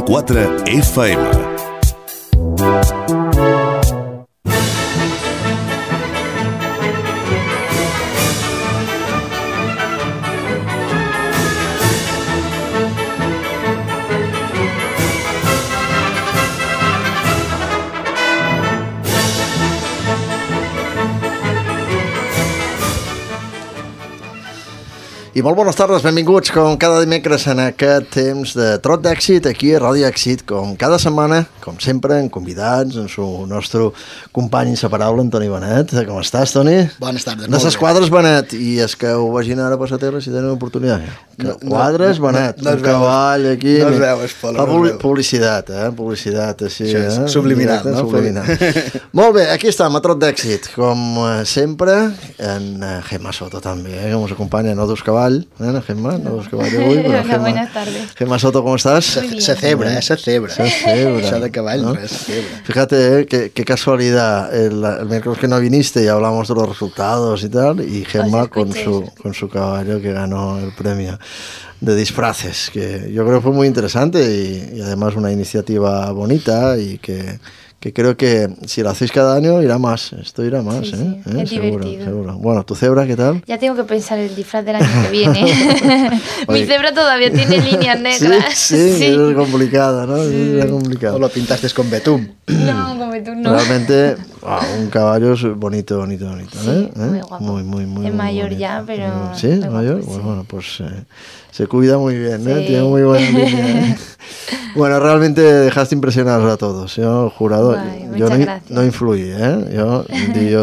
107.4 FM. I molt bones tardes, benvinguts com cada dimecres en aquest temps de Trot d'Èxit aquí a Ràdio Èxit, com cada setmana, com sempre, en convidats, en su nostre company inseparable, Toni Benet. Com estàs, Toni? Bones tardes. De ses quadres, Benet, i és que ho vagin ara per la terra si tenen oportunitat. Quadres, Benet, un cavall aquí. No es veu, és fa publicitat, publicitat així. Subliminal, no? Subliminal. Molt bé, aquí estem, a Trot d'Èxit, com sempre, en Gemma Soto també, que ens acompanya, no dos cavalls. Gemma, no dos cavalls avui, però Hola, buenas tardes. Gemma Soto, ¿cómo estás? Se cebra, se cebra. Eso de caballo, ¿no? Se cebra. Fíjate, qué casualidad, el miércoles que no viniste y hablamos de los resultados y tal, y Gemma con su caballo que ganó el premio de disfraces, que yo creo que fue muy interesante y además una iniciativa bonita y que creo que si lo hacéis cada año irá más, esto irá más, sí, ¿eh? Es seguro, divertido. seguro. Bueno, ¿tu cebra qué tal? Ya tengo que pensar el disfraz del año que viene. Mi cebra todavía tiene líneas negras. Sí, es complicada, ¿no? Sí. Es complicado. ¿O lo pintaste con betún? No, con betún no. Realmente, un caballo es bonito, Sí, ¿eh? muy guapo. Muy Es mayor bonito. ya, pero... ¿Sí? ¿Es mayor? Guapo, sí. Bueno, pues se cuida muy bien, ¿eh? Sí. Tiene muy buena línea, ¿eh? Bueno, realmente dejaste impresionados a todos. Yo, jurado, Ay, yo gracias. no influí, ¿eh? Yo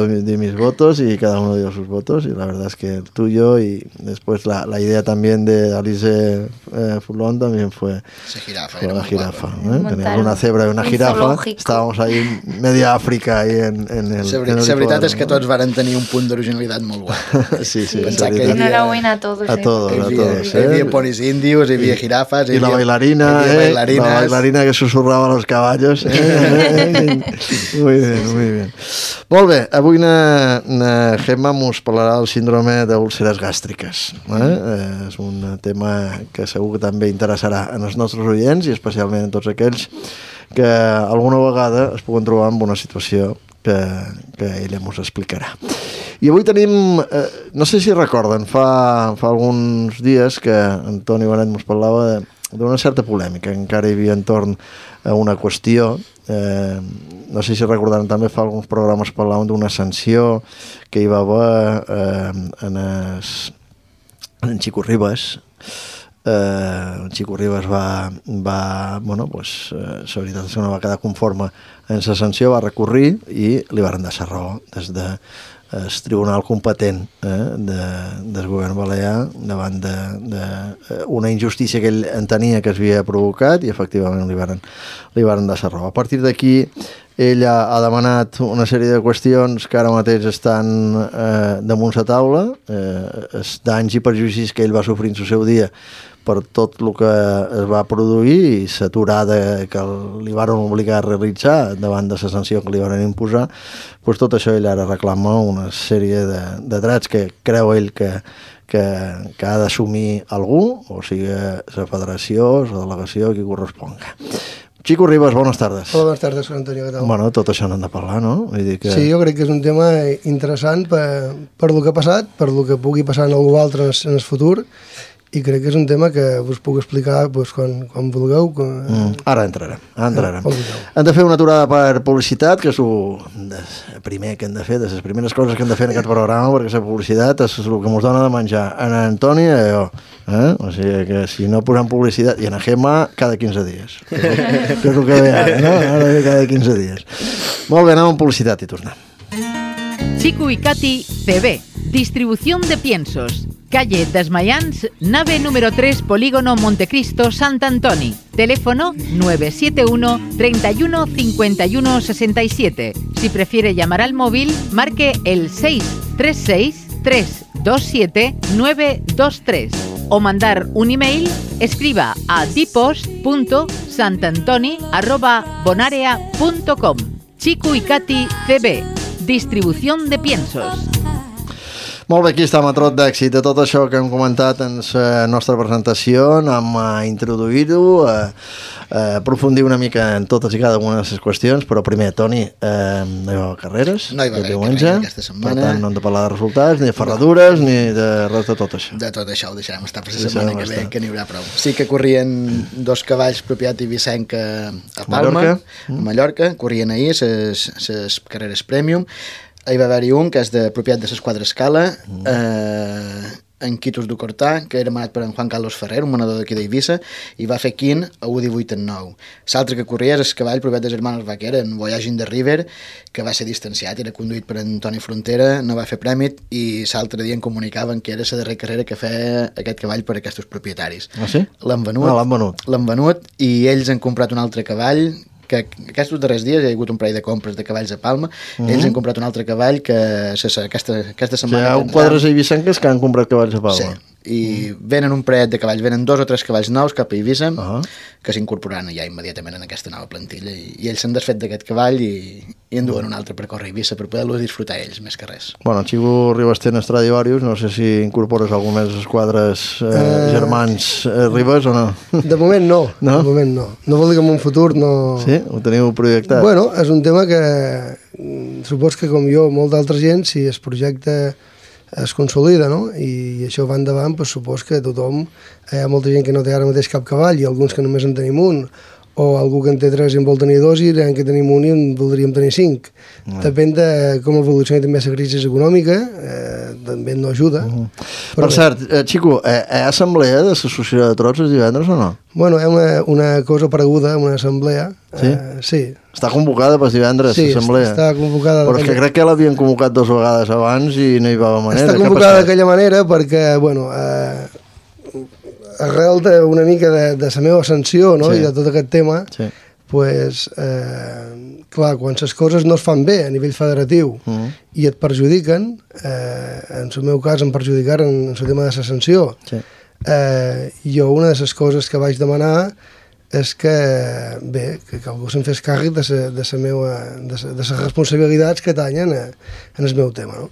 di mis votos y cada uno dio sus votos y la verdad es que el tuyo y después la idea también de Alice Fulón también fue una jirafa, ¿eh? Teníamos una cebra y una jirafa. Zoológico. Estábamos ahí media Àfrica ahí en el... La veritat és que tots varen tenir un punt d'originalitat molt guai. Sí, Pensar que enhorabuena a todos. A todos, Hi havia ponis indios, hi havia jirafes... Y la bailarina, la bailarina que susurraba a los caballos. Muy bien. Molt bé, avui na Gemma mos parlarà del síndrome d'úlceres gàstriques. És un tema que segur que també interessarà en els nostres oients i especialment en tots aquells que alguna vegada es puguen trobar en una situació que ella mos explicarà. I avui tenim, no sé si recorden, fa alguns dies que en Toni Benet mos parlava d'una certa polèmica que encara hi havia entorn a una qüestió. No sé si recordaran també, fa alguns programes parlàvem d'una sanció que hi va haver en Chico Ribas. Chico Ribas va bueno, pues, la veritat és que no va quedar conforme en la sanció, va recórrer i li van deixar raó des de el tribunal competent del govern balear davant d'una injustícia que ell entenia que es havia provocat i efectivament li varen deixar raó. A partir d'aquí ella ha demanat una sèrie de qüestions que ara mateix estan damunt la taula, els danys i perjudicis que ell va sofrir en el seu dia per tot el que es va produir i l'aturada que li van obligar a realitzar davant de la sanció que li van imposar, doncs tot això ell ara reclama una sèrie de drets que creu ell que ha d'assumir algú, o sigui la federació, la delegació, qui corresponga. Chico Ribas, bones tardes. Hola, bones tardes, Juan Antonio, què tal? Bueno, tot això n'hem de parlar, no? Vull dir que... Sí, jo crec que és un tema interessant per el que ha passat, per el que pugui passar en algú altre en el futur, i crec que és un tema que us puc explicar quan vulgueu. Ara entrarem. Hem de fer una aturada per publicitat, que és el primer que hem de fer, de les primeres coses que hem de fer en aquest programa, perquè la publicitat és el que ens dona de menjar en Antoni i jo. O sigui que si no posem publicitat, i en Gemma cada 15 dies. Que és el que ve ara, no? Ara ve cada 15 dies. Molt bé, anem amb publicitat i tornem. Chico y Katy CB, distribución de piensos. Calle Desmayans, nave número 3, Polígono Montecristo, Sant Antoni. Teléfono 971 31 51 67. Si prefiere llamar al móvil, marque el 636 327 923. O mandar un email, escriba a dipos.santantoni@bonarea.com. Chico y Katy CB, distribución de piensos. Molt bé, aquí estem a Trot d'Èxit. De tot això que hem comentat en la nostra presentació, anem a introduir-ho, a aprofundir una mica en totes i cada una de les qüestions, però primer, Toni, no hi va carreres? No hi va haver carreres aquesta setmana. Per tant, no hem de parlar de resultats, ni de ferradures, ni de res de tot això. De tot això ho deixarem estar per la setmana que ve, que n'hi haurà prou. Sí que corrien 2 cavalls propietat ibicenca a Palma, a Mallorca, corrien ahir les carreres Premium. Hi va haver-hi un que és de propietat de l'Esquadra Escala, en Quitos du Cortà, que era manat per en Juan Carlos Ferrer, un manador d'aquí d'Eivissa, i va fer quint a 1:18 en 9. L'altre que corria és el cavall propietat dels Hermanos Vaquera, en Voyaging the River, que va ser distanciat, era conduït per Antoni Frontera, no va fer prèmit, i l'altre dia em comunicaven que era la darrera carrera que feia aquest cavall per aquests propietaris. Ah, sí? L'han venut. L'han venut, i ells han comprat un altre cavall, que aquests darrers dies hi ha hagut un parell de compres de cavalls a Palma, ells han comprat un altre cavall que aquesta setmana... Hi ha un quadres eivissenques que han comprat cavalls a Palma. Sí, i venen un parell de cavalls, venen 2 o 3 cavalls nous cap a Eivissa, que s'incorporaran ja immediatament en aquesta nova plantilla, i ells s'han desfet d'aquest cavall i en duen un altre per córrer a Eivissa per poder-lo disfrutar ells, més que res. Bueno, Xico Ribas té Stradivarius, no sé si incorpores algun més dels quadres germans Ribas o no? De moment no, de moment no. No vol dir que en un futur no... Sí? Ho teniu projectat? Bueno, és un tema que supos que com jo, molt d'altra gent, si es projecta es consolida, no? I això va endavant, doncs supos que tothom, hi ha molta gent que no té ara mateix cap cavall i alguns que només en tenim un, o algú que en té 3 i en vol tenir 2 i en què tenim un i en voldríem tenir 5. Depèn de com evolucioni també la crisi econòmica, també no ajuda. Per cert, Xico, hi ha assemblea de l'associació de trots els divendres o no? Bueno, hi ha una cosa pareguda, una assemblea. Sí? Sí. Està convocada per divendres, l'assemblea? Sí, està convocada. Però és que crec que l'havien convocat 2 vegades abans i no hi va haver manera. Està convocada d'aquella manera perquè, bueno, arrel d'una mica de la meva ascensió, no? I de tot aquest tema, pues, clar, quan les coses no es fan bé a nivell federatiu i et perjudiquen, en el meu cas em perjudicaren en el tema de l'ascensió, jo una de les coses que vaig demanar és que, bé, que algú se'n fes càrrec de les responsabilitats que tallen en el meu tema, no?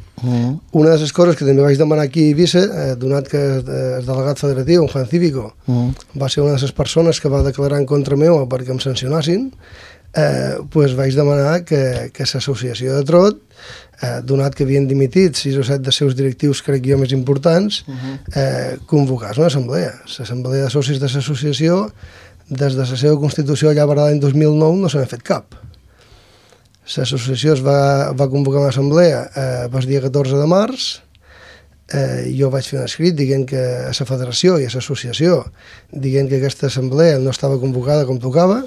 Una de les coses que també vaig demanar aquí a Eivissa, donat que el delegat federatiu, en Juan Cívico, va ser una de les persones que va declarar en contra meu perquè em sancionassin, doncs vaig demanar que l'associació de trot, donat que havien dimitit 6 o 7 dels seus directius, crec jo, més importants, convocàs una assemblea. L'assemblea de socis de l'associació, des de la seva constitució allà per l'any 2009 no se n'ha fet cap. L'associació es va convocar una assemblea el dia 14 de març, jo vaig fer un escrit dient que a la federació i a l'associació dient que aquesta assemblea no estava convocada com tocava.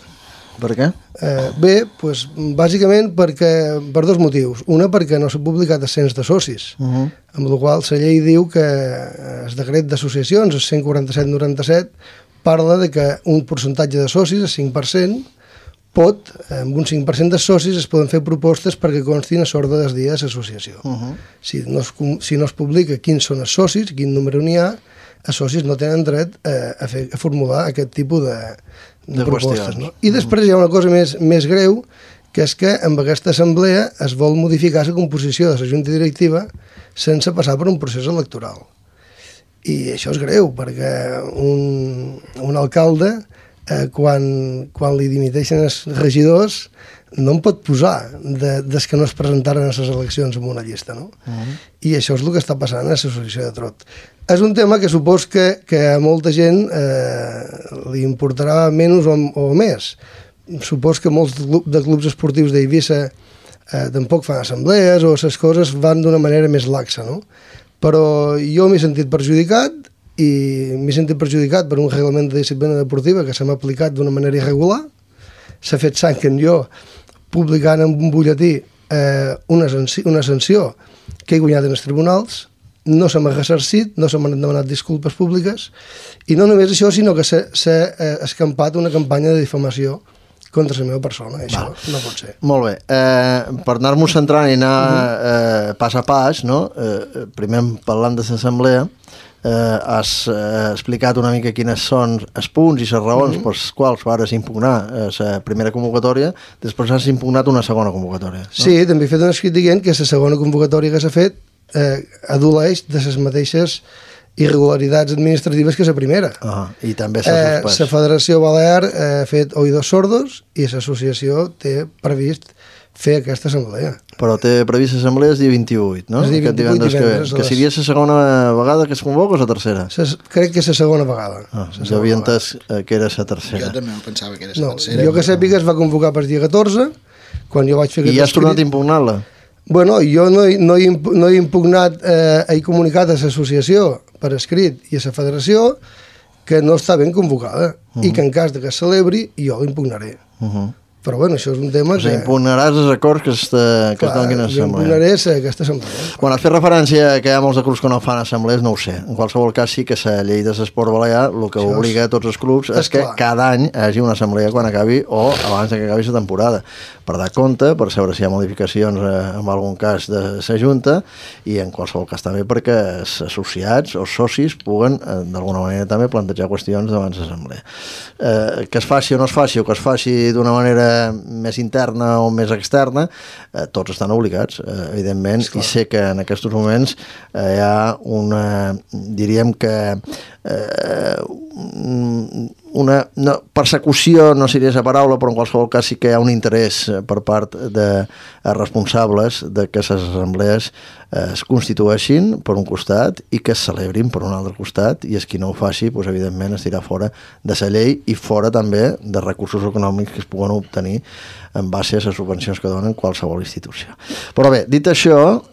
Per què? Bé, doncs, bàsicament per 2 motius. Una, perquè no s'ha publicat el cens de socis, amb la qual la llei diu que el decret d'associacions, el 147-97, parla de que un percentatge de socis, el 5%, amb un 5% de socis es poden fer propostes perquè constin a l'ordre del dia de l'associació. Si no es publica quins són els socis, quin número n'hi ha, els socis no tenen dret a formular aquest tipus de propostes. No? I després hi ha una cosa més greu, que és que amb aquesta assemblea es vol modificar la composició de la junta directiva sense passar per un procés electoral. I això és greu, perquè un alcalde, quan li dimiteixen els regidors, no em pot posar des que no es presentaren a les eleccions en una llista, no? I això és el que està passant a l'associació de trot. És un tema que supos que a molta gent li importarà menys o més. Supos que molts de clubs esportius d'Eivissa tampoc fan assemblees o les coses van d'una manera més laxa, no? Però jo m'he sentit perjudicat i m'he sentit perjudicat per un reglament de disciplina deportiva que se m'ha aplicat d'una manera irregular. S'ha fet sang en jo publicant en un butlletí una sanció que he guanyat en els tribunals, no se m'ha ressarcit, no se m'han demanat disculpes públiques i no només això, sinó que s'ha escampat una campanya de difamació contra la meva persona, això no pot ser. Molt bé, per anar-nos centrant i anar pas a pas, no? Primer parlant de l'assemblea, has explicat una mica quines són els punts i les raons pels quals vas impugnar la primera convocatòria, després has impugnat una segona convocatòria. No? Sí, també he fet un escrit dient que la segona convocatòria que s'ha fet adoleix de les mateixes irregularitats administratives que la primera. I també s'ha suspès. La Federació Balear ha fet oïdos sordos i l'associació té previst fer aquesta assemblea. Però té previst l'assemblea el dia 28, no? El dia 28 divendres. Que seria la segona vegada que es convoca o la tercera? Crec que és la segona vegada. Jo havia entès que era la tercera. Jo també pensava que era la tercera. Jo que sàpiga es va convocar per dia 14, quan jo vaig fer... I ja has tornat a impugnar-la? Bueno, jo no he impugnat, he comunicat a l'associació per escrit i a la federació que no està ben convocada i que en cas de que es celebri jo l'impugnaré. Però bueno, això és un tema que... impugnaràs els acords que es donin a l'assemblea. Jo impugnaré aquesta assemblea. Quan has fet referència que hi ha molts de clubs que no fan assemblees, no ho sé. En qualsevol cas sí que la llei de l'esport balear el que obliga a tots els clubs és que cada any hi hagi una assemblea quan acabi o abans que acabi la temporada, per dar compte, per saber si hi ha modificacions en algun cas de la Junta i en qualsevol cas també perquè els associats o socis puguen d'alguna manera també plantejar qüestions davant l'assemblea. Que es faci o no es faci, o que es faci d'una manera més interna o més externa, tots estan obligats, evidentment, i sé que en aquests moments hi ha una, diríem que una persecució no seria la paraula, però en qualsevol cas sí que hi ha un interès per part de responsables de que les assemblees es constitueixin per un costat i que es celebrin per un altre costat, i qui no ho faci, doncs, evidentment estirà fora de la llei i fora també de recursos econòmics que es puguen obtenir en base a les subvencions que donen qualsevol institució. Però bé, dit això,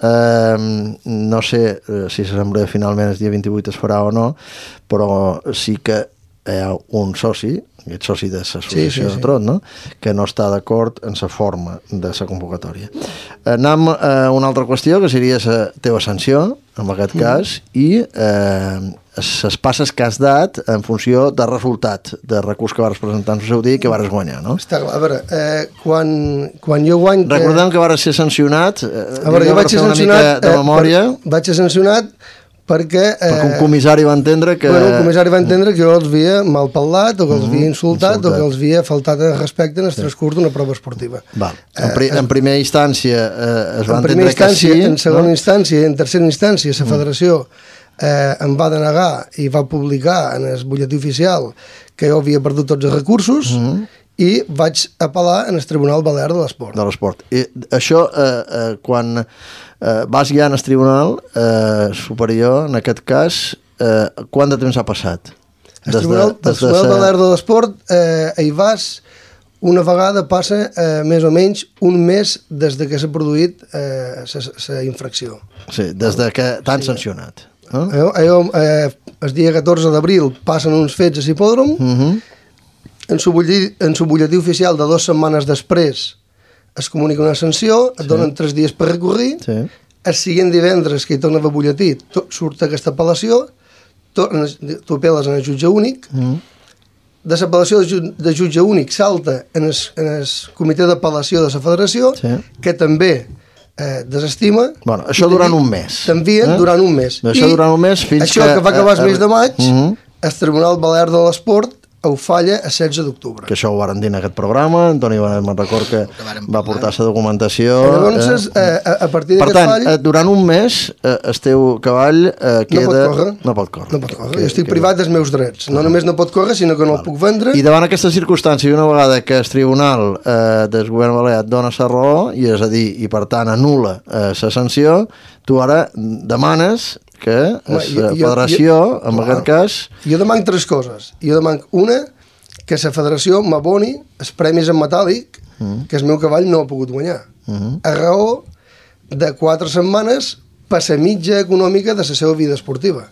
no sé si l'assemblea finalment el dia 28 es farà o no, però sí que hi ha un soci, aquest soci de l'associació de Trot, no? Que no està d'acord en la forma de la convocatòria. Anem a una altra qüestió, que seria la teva sanció, en aquest cas, i les passes que has dat en funció del resultat de recurs que vas presentar en el seu dia i que vas guanyar, no? Està clar, a veure, quan jo guany... Recordem que vas ser sancionat, a veure, jo vaig ser sancionat de memòria. Vaig ser sancionat perquè un comissari va entendre que... Bueno, un comissari va entendre que jo els havia malparlat o que els havia insultat o que els havia faltat de respecte en el transcurs d'una prova esportiva. Val. En primera instància es va entendre que sí. En segona instància, en tercera instància, la federació em va denegar i va publicar en el butlletí oficial que jo havia perdut tots els recursos i vaig apel·lar en el Tribunal Balear de l'Esport. De l'Esport. I això, quan vas guiar en el Tribunal Superior, en aquest cas, quant de temps ha passat? El Tribunal Balear de l'Esport hi vas una vegada, passa més o menys un mes des de que s'ha produït la infracció. Sí, des de que t'han sancionat. El dia 14 d'abril passen uns fets a l'hipòdrom, en su butlletí oficial de 2 setmanes després es comunica una sanció, et donen 3 dies per recórrer, el següent divendres que hi torna a butlletí surt aquesta apel·lació, tu apel·les en el jutge únic, de l'apel·lació de jutge únic salta en el comitè d'apel·lació de la federació, que també desestima. Bueno, això durant un mes. T'envien durant un mes. Això durant un mes fins que... Això que va acabar el mes de maig, el Tribunal Balear de l'Esport ho falla a 16 d'octubre. Que això ho varen dir en aquest programa, Antoni me'n record que va portar la documentació. Llavors, a partir d'aquest fall... Per tant, durant un mes el teu cavall queda... No pot córrer. Jo estic privat dels meus drets. No només no pot córrer, sinó que no el puc vendre. I davant aquesta circumstància, una vegada que el Tribunal del Govern Balear dona la raó, i és a dir, i per tant anul·la la sanció, tu ara demanes que la federació, en aquest cas... Jo demanc 3 coses. Jo demanc una, que la federació m'aboni els premis en metàl·lic que el meu cavall no ha pogut guanyar. A raó de 4 setmanes per la mitja econòmica de la seva vida esportiva.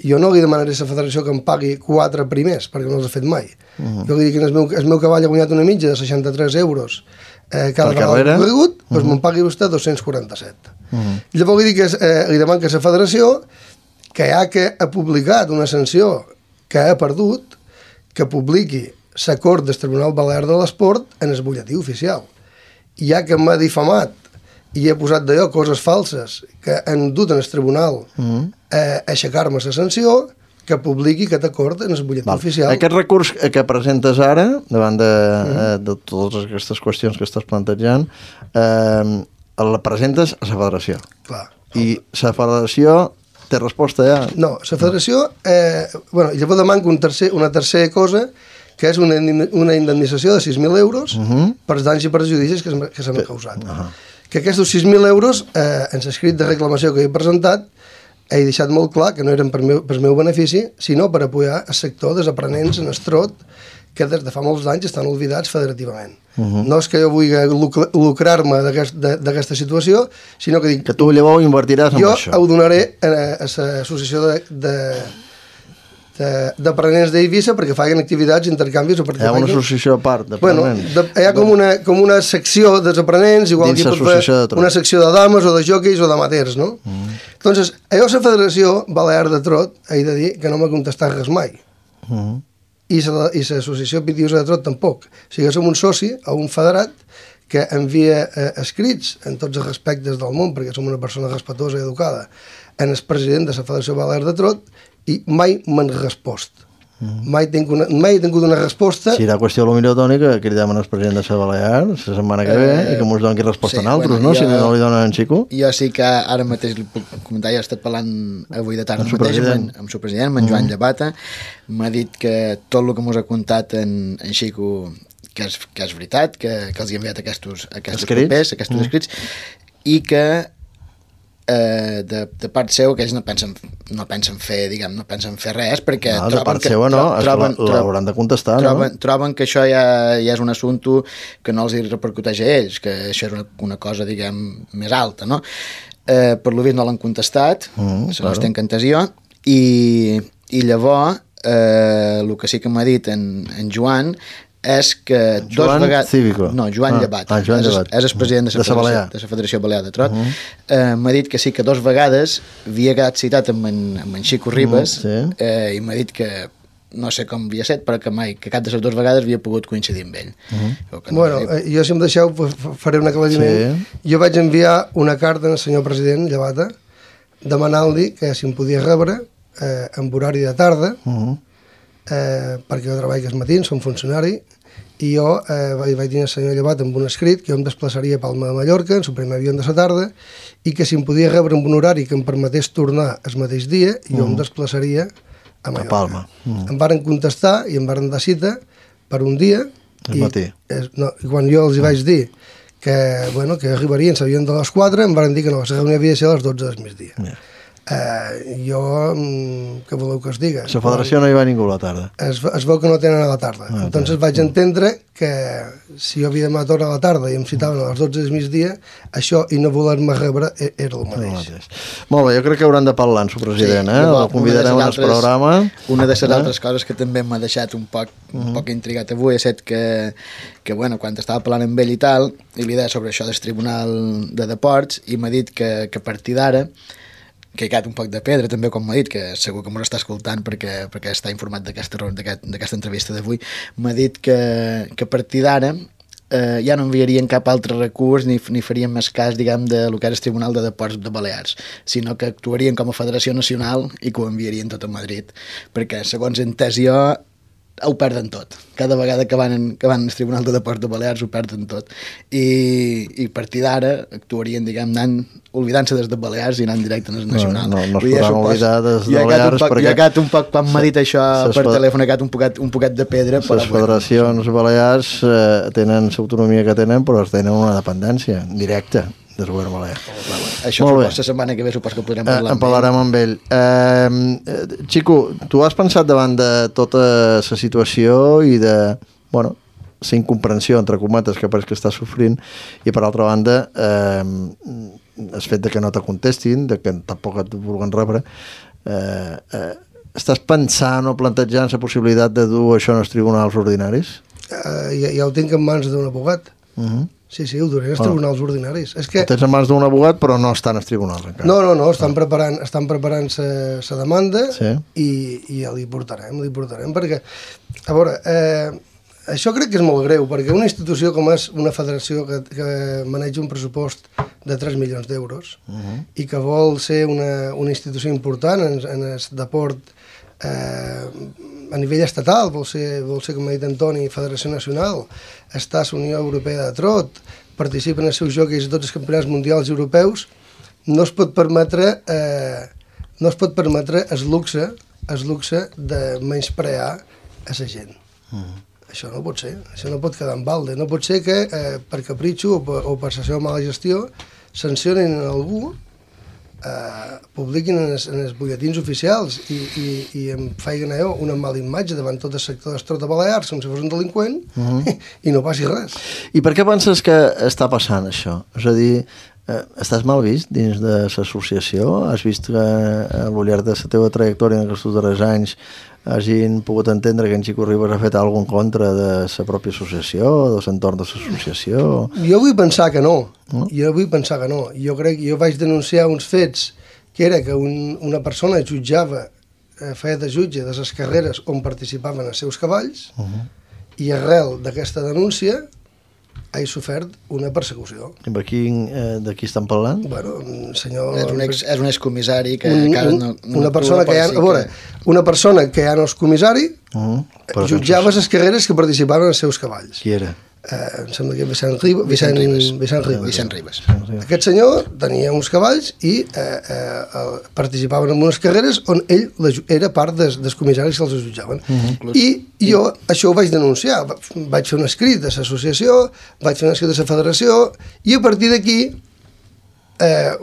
Jo no li demanaré a la federació que em pagui 4 primers, perquè no els he fet mai. Jo li dic que el meu cavall ha guanyat una mitja de 63 euros cada vegada corregut, doncs me'n pagui vostè 247. Llavors li demanat que la federació, que ja que ha publicat una sanció que ha perdut, que publiqui l'acord del Tribunal Balear de l'Esport en el butlletí oficial. Ja que m'ha difamat i he posat d'allò coses falses que han dut en el tribunal a aixecar-me la sanció, que publiqui aquest acord en el butlletí oficial. Aquest recurs que presentes ara, davant de totes aquestes qüestions que estàs plantejant, el presentes a la federació. Clar. I la federació té resposta ja? No, la federació... llavors demanca una tercera cosa, que és una indemnització de 6.000 euros per danys i perjudicis que s'han causat. Que aquests 6.000 euros, en l'escrit de reclamació que he presentat, he deixat molt clar que no eren per meu benefici, sinó per apoyar el sector dels aprenents en estrot, que des de fa molts anys estan oblidats federativament. No és que jo vulgui lucrar-me d'aquesta situació, sinó que dic... Que tu llavors invertiràs en això. Jo ho donaré a l'associació d'aprenents d'Eivissa perquè facin activitats, intercanvis... Hi ha una associació a part d'aprenents? Hi ha com una secció dels aprenents, igual que pot fer una secció de dames o de jockeys o d'amateurs, no? Entonces, la Federació Balear de Trot, he de dir que no m'ha contestat res mai. I l'associació Pitiusa de Trot tampoc. O sigui, som un soci o un federat que envia escrits en tots els respectes del món, perquè som una persona respectuosa i educada, en el president de la Federació Balear de Trot, i mai m'han respost. Mai he tingut una resposta... Si era qüestió potser, Toni, que cridem al president de la Balear la setmana que ve i que ens doni resposta a altres, no? Si no li donen en Xico. Jo sí que ara mateix li puc comentar, jo he estat parlant avui de tarda mateix amb el seu president, amb en Joan Llevata, m'ha dit que tot el que ens ha contat en Xico que és veritat, que els hi ha enviat aquests papers, aquests escrits, i que de part seu que ells no pensen fer res perquè de part seva no, l'hauran de contestar, troben que això ja és un assumpte que no els hi repercuteix a ells, que això és una cosa, diguem, més alta, no? Per lo vist no l'han contestat, se n'està en cantació, i llavors el que sí que m'ha dit en Joan és que Joan Cívico. No, Joan Llevat. Joan Llevat. És el president de la Federació Balear de Trot. M'ha dit que sí que 2 vegades havia quedat citat amb en Xico Ribas i m'ha dit que no sé com havia set, però que mai, que cap de les 2 vegades havia pogut coincidir amb ell. Bueno, jo si em deixeu faré un aclariment. Jo vaig enviar una carta al senyor president Llevata demanant-li que si em podia rebre en horari de tarda perquè jo treballo als matins, som funcionari, i jo vaig dir al senyor Llevat amb un escrit que jo em desplaçaria a Palma de Mallorca en el primer avió de la tarda i que si em podia rebre en un horari que em permetés tornar el mateix dia, jo em desplaçaria a Mallorca. A Palma. Em varen contestar i em varen dar cita per un dia i quan jo els hi vaig dir que arribarien, s'havien de les 4, em varen dir que no, la reunió havia de ser a les 12 del migdia. Jo, què voleu que us diga? La federació no hi va ningú a la tarda. Es veu que no tenen a la tarda. Entonces vaig entendre que si jo havia de matar a la tarda i em citaven a les 12 del migdia, això i no voler-me rebre era el mateix. Molt bé, jo crec que hauran de parlar amb el president, el convidarem al programa. Una de les altres coses que també m'ha deixat un poc intrigat avui ha estat que quan estava parlant amb ell i tal, i li deia sobre això del Tribunal de Deports, i m'ha dit que a partir d'ara que he quedat un poc de pedra també, com m'ha dit, que segur que m'ho està escoltant perquè està informat d'aquesta entrevista d'avui, m'ha dit que a partir d'ara ja no enviarien cap altre recurs ni farien més cas, diguem, de lo que és el Tribunal de Deports de Balears, sinó que actuarien com a Federació Nacional i que ho enviarien tot a Madrid, perquè segons he entès jo ho perden tot. Cada vegada que van al Tribunal de Deports de Balears ho perden tot. I a partir d'ara actuarien, diguem, oblidant-se des de Balears i anant directe al Nacional. No es podran oblidar des de Balears perquè... Jo he quedat un poc, quan m'ha dit això per telèfon, he quedat un poquet de pedra. Les federacions balears tenen l'autonomia que tenen, però tenen una dependència directa del govern balear. Això la setmana que ve supos que podrem parlar amb ell. En parlarem amb ell. Xico, tu has pensat davant de tota la situació i de, la incomprensió, entre cometes, que pareix que està sofrint, i per altra banda el fet de que no te contestin, de que tampoc et vulguin rebre, estàs pensant o plantejant la possibilitat de dur això als tribunals ordinaris? Ja ho tinc en mans d'un abogat. Sí, ho duré als tribunals ordinaris. Ho tens en mans d'un abogat, però no estan als tribunals encara. No, estan preparant la demanda i ja li portarem, perquè, a veure, això crec que és molt greu, perquè una institució com és una federació que maneja un pressupost de 3 milions d'euros i que vol ser una institució important en el deport a nivell estatal, vol ser, com ha dit Antoni, Federació Nacional, està a la Unió Europea de Trot, participen en els seus jocs a tots els campionats mundials i europeus, no es pot permetre el luxe de menysprear a la gent. Això no pot ser, això no pot quedar en balde. No pot ser que per capritxo o per la seva mala gestió sancionin algú, publiquin en els butlletins oficials i em faiguen allò una mala imatge davant tot el sector d'Estrot de Balears com si fos un delinqüent i no passi res. I per què penses que està passant això? És a dir, estàs mal vist dins de l'associació? Has vist que al llarg de la teva trajectòria en aquests darrers anys hagin pogut entendre que en Xico Ribas ha fet alguna cosa en contra de la pròpia associació, de l'entorn de l'associació? Jo vull pensar que no. Jo crec que jo vaig denunciar uns fets que era que una persona jutjava, feia de jutge de les carreres on participaven els seus cavalls i arrel d'aquesta denúncia he sofert una persecució. I de qui estan parlant? Bueno, senyor... És un excomissari que encara no... Una persona que ja... A veure, una persona que ja no és comissari jutjava les carreres que participaven els seus cavalls. Qui era? Em sembla que Vicent Ribas. Aquest senyor tenia uns cavalls i participaven en unes carreres on ell era part dels comissaris que els jutjaven. I jo això ho vaig denunciar. Vaig fer un escrit de l'associació, vaig fer un escrit de la federació i a partir d'aquí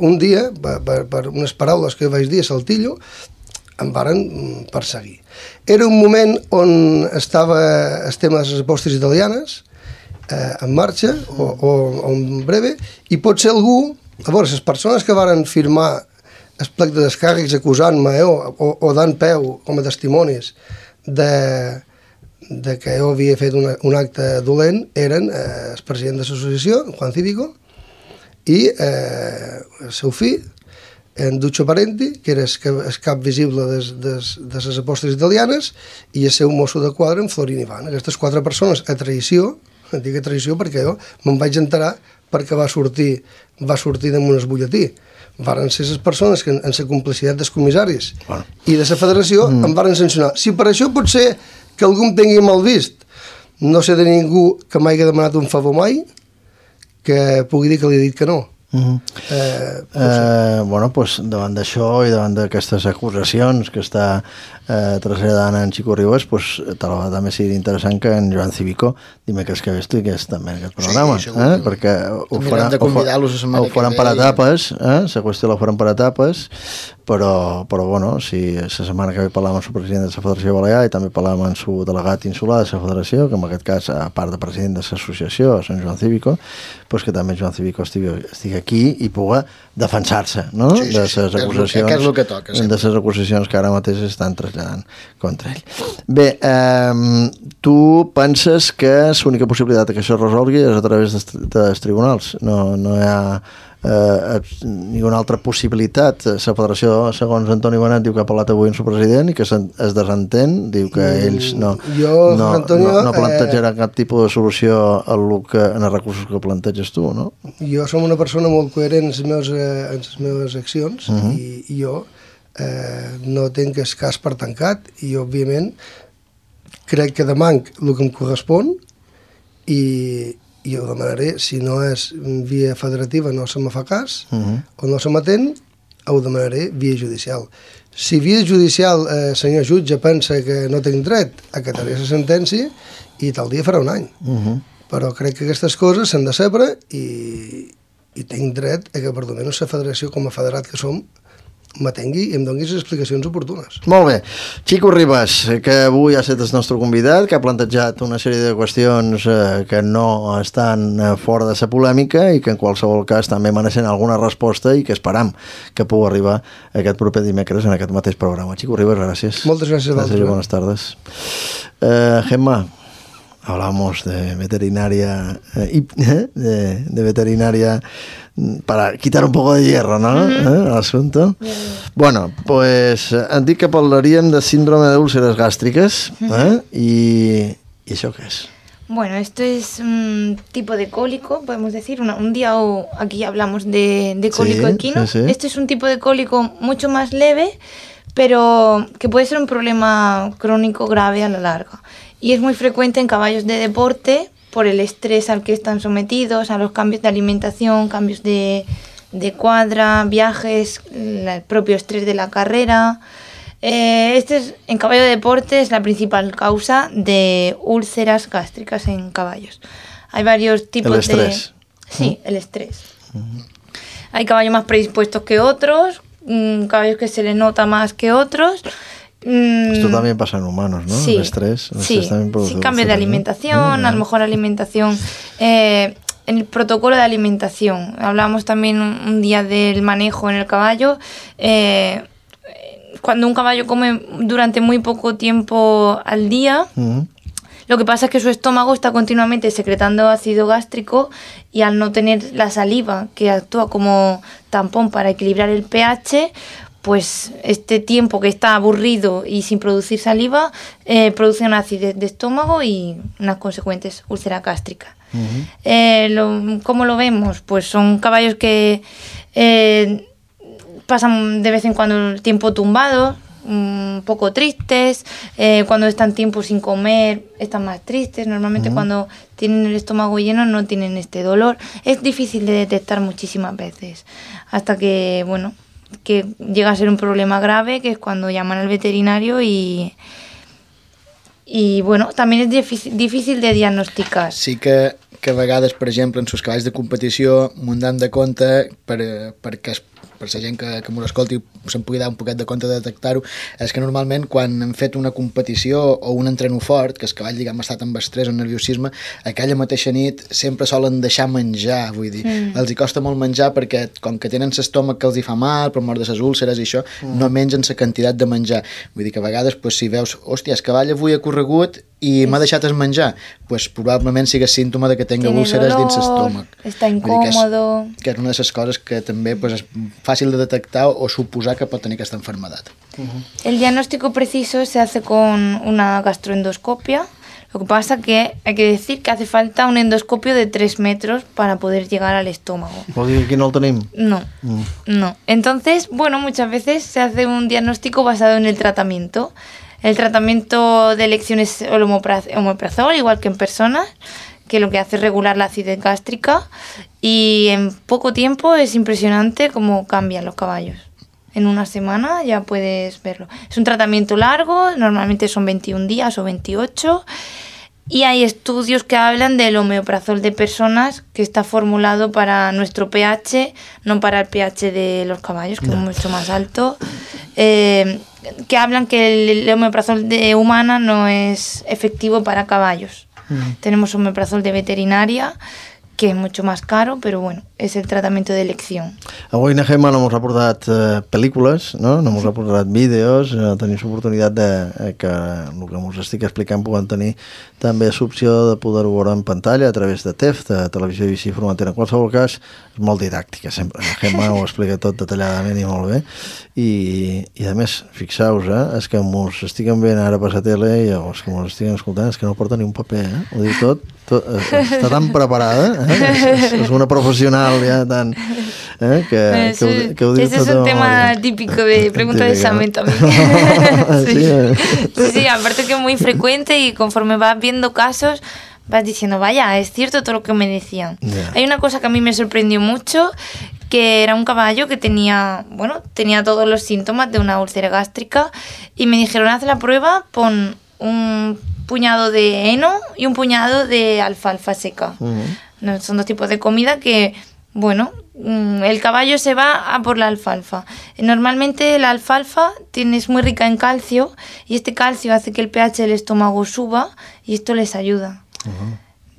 un dia, per unes paraules que jo vaig dir a Saltillo, em varen perseguir. Era un moment on estava el tema de les apostes italianes en marxa o en breve, i pot ser algú, a veure, les persones que varen firmar el plec de descàrrecs acusant-me o dant peu com a testimonis de que jo havia fet un acte dolent eren el president de l'associació, Juan Cívico, i el seu fill, en Duccio Parenti, que era el cap visible de les apostes italianes, i el seu mosso de quadre, en Florin Ivan. Aquestes 4 persones a traïció, dic a traïció perquè jo me'n vaig enterar perquè va sortir damunt el butlletí. Varen ser les persones que en la complicitat dels comissaris i de la federació em varen sancionar. Si per això pot ser que algú em tingui mal vist, no sé de ningú que m'hagi demanat un favor mai que pugui dir que li he dit que no. Bueno, doncs davant d'això i davant d'aquestes acusacions que està traslladant en Xico Ribas, doncs també seria interessant que en Joan Cívico dimecres que ve estigués també en aquest programa, perquè ho faran per etapes, la qüestió la faran per etapes, però bueno, si la setmana que ve parlàvem amb el president de la Federació Balear i també parlàvem amb el delegat insular de la Federació, que en aquest cas, a part de president de l'associació, Sant Joan Cívico, doncs que també Joan Cívico estigui aquí i pugui defensar-se, no? De les acusacions, de les acusacions que ara mateix estan traslladant contra ell. Bé, tu penses que l'única possibilitat que això es resolgui és a través dels tribunals? No hi ha ninguna altra possibilitat? La federació, segons Antoni Benet, diu que ha parlat avui amb el president i que es desentén, diu que ells no plantejaran cap tipus de solució en els recursos que planteges tu, no? Jo som una persona molt coherent en les meves accions i jo no tinc el cas per tancat i òbviament crec que demanc el que em correspon i ho demanaré, si no és via federativa no se me fa cas o no se m'atén, ho demanaré via judicial. Si via judicial senyor jutge pensa que no tinc dret, acataré la sentència i tal dia farà un any. Però crec que aquestes coses s'han de saber i tinc dret a que per almenys la federació com a federat que som m'atengui i em doni les explicacions oportunes. Molt bé. Xico Ribas, que avui ha estat el nostre convidat, que ha plantejat una sèrie de qüestions que no estan fora de la polèmica i que en qualsevol cas també mereixen alguna resposta i que esperam que pugui arribar aquest proper dimecres en aquest mateix programa. Xico Ribas, gràcies. Moltes gràcies a vosaltres. Buenas tardes. Gemma, hablamos de veterinaria de veterinaria para quitar un poco de hierro, ¿no? Al asunto. Bueno, pues han dit que parlaríem de síndrome de úlceras gástricas, ¿y eso qué es? Bueno, esto es un tipo de cólico, podemos decir. Un día aquí hablamos de cólico equino. Sí. Este es un tipo de cólico mucho más leve, pero que puede ser un problema crónico grave a la larga. Y es muy frecuente en caballos de deporte por el estrés al que están sometidos, a los cambios de alimentación, cambios de de cuadra, viajes, el propio estrés de la carrera. En caballo de deporte es la principal causa de úlceras gástricas en caballos. Hay varios tipos de... ¿El estrés? Sí, el estrés. Hay caballos más predispuestos que otros, caballos que se les nota más que otros. Esto también pasa en humanos, ¿no? Sí, el estrés. Sí, cambios de alimentación, a lo mejor alimentación... en el protocolo de alimentación. Hablamos también un día del manejo en el caballo. Cuando un caballo come durante muy poco tiempo al día, lo que pasa es que su estómago está continuamente secretando ácido gástrico y al no tener la saliva que actúa como tampón para equilibrar el pH, pues este tiempo que está aburrido y sin producir saliva produce una acidez de estómago y unas consecuentes úlceras gástricas. ¿Cómo lo vemos? Pues son caballos que pasan de vez en cuando el tiempo tumbados, un poco tristes, cuando están tiempo sin comer están más tristes, normalmente cuando tienen el estómago lleno no tienen este dolor. Es difícil de detectar muchísimas veces, hasta que, bueno, que llega a ser un problema grave, que es cuando llaman al veterinario y bueno, también es difícil de diagnosticar. Sí que a vegades, per exemple, en sus cavalls de competició m'ho hem de compte perquè per la gent que m'ho escolti se'n pugui dar un poquet de compte de detectar-ho, és que normalment quan hem fet una competició o un entreno fort, que el cavall, diguem, ha estat amb estrès o nerviosisme, aquella mateixa nit sempre solen deixar menjar, vull dir, els hi costa molt menjar perquè com que tenen l'estómac que els hi fa mal, per mort de les úlceres i això, no mengen la quantitat de menjar. Vull dir que a vegades, pues, si veus, hòstia, el cavall avui ha corregut i m'ha deixat el menjar, pues, probablement sigui símptoma de que tenga úlceres dins l'estómac. Està incòmodo. Que és una de les coses que també, pues, és fàcil de detectar o suposar que pot tenir aquesta enfermedad. El diagnóstico preciso se hace con una gastroendoscopia. Lo que pasa que hay que decir que hace falta un endoscopio de 3 metros para poder llegar al estómago. ¿Vol dir que aquí no el tenim? No, no. Entonces, bueno, muchas veces se hace un diagnóstico basado en el tratamiento. El tratamiento de elección es el omeprazol, igual que en personas, que lo que hace es regular la acidez gástrica, y en poco tiempo es impresionante cómo cambian los caballos. En una semana ya puedes verlo. Es un tratamiento largo, normalmente son 21 días o 28, y hay estudios que hablan del omeprazol de personas que está formulado para nuestro pH, no para el pH de los caballos, que es mucho más alto, que hablan que el omeprazol de humana no es efectivo para caballos. Tenemos omeprazol de veterinaria, que és mucho más caro, però bueno, és el tractament d'elecció. Avui na Gemma no ens ha portat pel·lícules, no ens ha portat vídeos, tenim l'oportunitat de que el que ens estic explicant puguem tenir també l'opció de poder-ho veure en pantalla a través de TEF, de Televisió i Formentera. En qualsevol cas, és molt didàctica, sempre. La Gemma ho explica tot detalladament i molt bé. I a més, fixeu-vos, és que ens estiguen veient ara per la tele i els que ens estiguen escoltant és que no porta ni un paper, ho diu tot, està tan preparada, és una professional ya tan que ho diu ese es un tema típico de pregunta de examen también. Sí, aparte que es muy frecuente y conforme vas viendo casos vas diciendo, vaya, es cierto todo lo que me decían. Hay una cosa que a mí me sorprendió mucho, que era un caballo que tenía todos los síntomas de una úlcera gástrica y me dijeron, haz la prueba, pon un puñado de heno y un puñado de alfalfa seca. Son dos tipos de comida que, bueno, el caballo se va a por la alfalfa. Normalmente la alfalfa es muy rica en calcio y este calcio hace que el pH del estómago suba y esto les ayuda.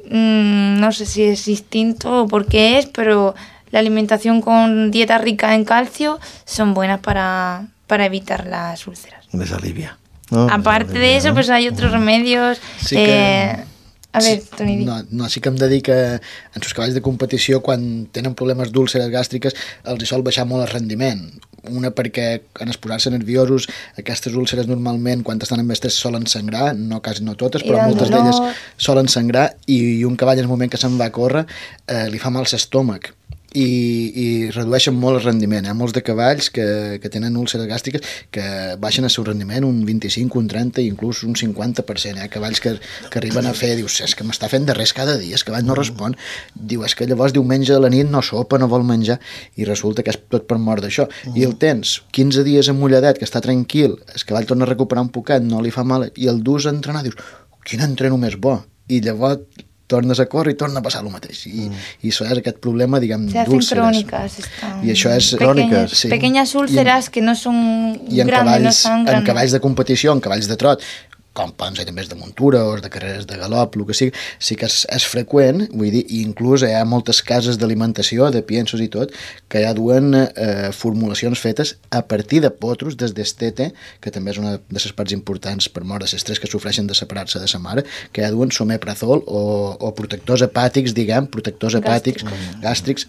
No sé si es instinto o por qué es, pero la alimentación con dieta rica en calcio son buenas para evitar las úlceras. Les alivia. Aparte de eso, pues hay otros remedios. Sí que... A ver, Toni. No, sí que hem de dir que en els cavalls de competició, quan tenen problemes d'úlceres gàstriques, els hi sol baixar molt el rendiment. Una perquè en posar-se nerviosos, aquestes úlceres normalment, quan estan amb estrès, solen sangrar, quasi no totes, però moltes d'elles solen sangrar, i un cavall en el moment que se'n va a córrer li fa mal l'estómac. i redueixen molt el rendiment. Hi ha molts de cavalls que tenen úlceres gàstriques que baixen el seu rendiment un 25, un 30 i inclús un 50%. Hi ha cavalls que arriben a fer, dius, és que m'està fent de res cada dia, el cavall no respon, diu, és que llavors diumenge a la nit no sopa, no vol menjar, i resulta que és tot per mort d'això. I el tens 15 dies amulladet, que està tranquil, el cavall torna a recuperar un poquet, no li fa mal, i el dus a entrenar, dius, quin entreno més bo, i llavors tornes a córrer i torna a passar el mateix. I això és aquest problema, diguem, d'úlceres. Se hacen crónicas. I això és... Pequeñas úlceras que no són grandes, no són grandes. En cavalls de competició, en cavalls de trot, com poden ser també de muntura o de carreres de galop, el que sigui, sí que és freqüent, vull dir, i inclús hi ha moltes cases d'alimentació, de piensos i tot, que ja duen formulacions fetes a partir de potros des d'estete, que també és una de les parts importants per mort de les tres que sofreixen de separar-se de sa mare, que ja duen someprazol o protectors hepàtics, diguem, protectors hepàtics, gàstrics...